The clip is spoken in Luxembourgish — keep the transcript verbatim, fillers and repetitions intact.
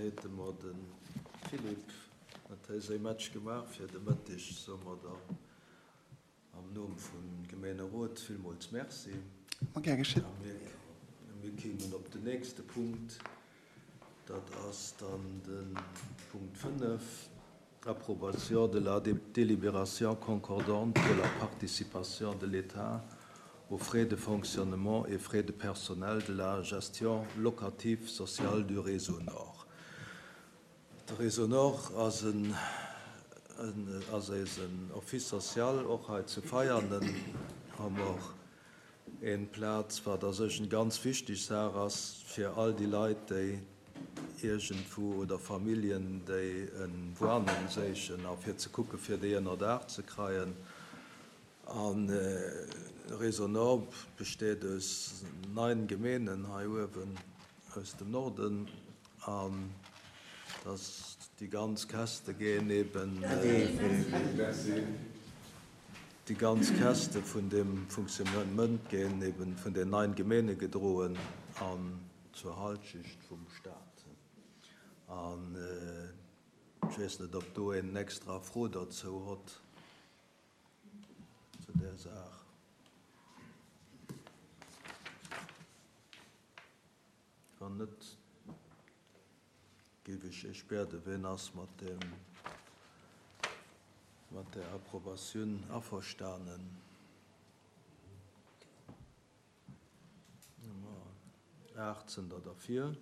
hate mer de Philippe huet hei säi Match gemaach fir de Mëtteg. Soe mer der am Numm vum Gemeenerot villmools Merci. Ma gär geschitt. A mir, mir kéimen op den nächste Punkt, dat ass dann de Punkt fënnef, Approbation de la délibération concordante de la participation de l'État aux frais de fonctionnement et frais de personnel de la gestion locative sociale du Réseau Nord. De Réseau Nord ass en, en, ass eisen Office social, och hei zu Veianen hu mer eng Plaz, wat a sech eng ganz wichteg Saach ass fir all déi Leit, déi iergendwou oder Familljen, déi eng Wunneng sichen a fir ze kucke fir déi ënnerdaach ze kréien. An Réseau Nord besteet aus néng Gemengen hei uewen aus dem Norden an dass déi ganz Käschte ginn eben déi ganz Käschte vun dem Fonctionnement ginn eben vun den néng Gemenge gedroen an zur Halschecht vum Staat. An ech weess net, ob do een extra Fro dozou huet zu der Saach. Wann net, géif ech iech bieden, wien ass mat dem mat der Approbatioun averstanen? Aacht sinn der derfir.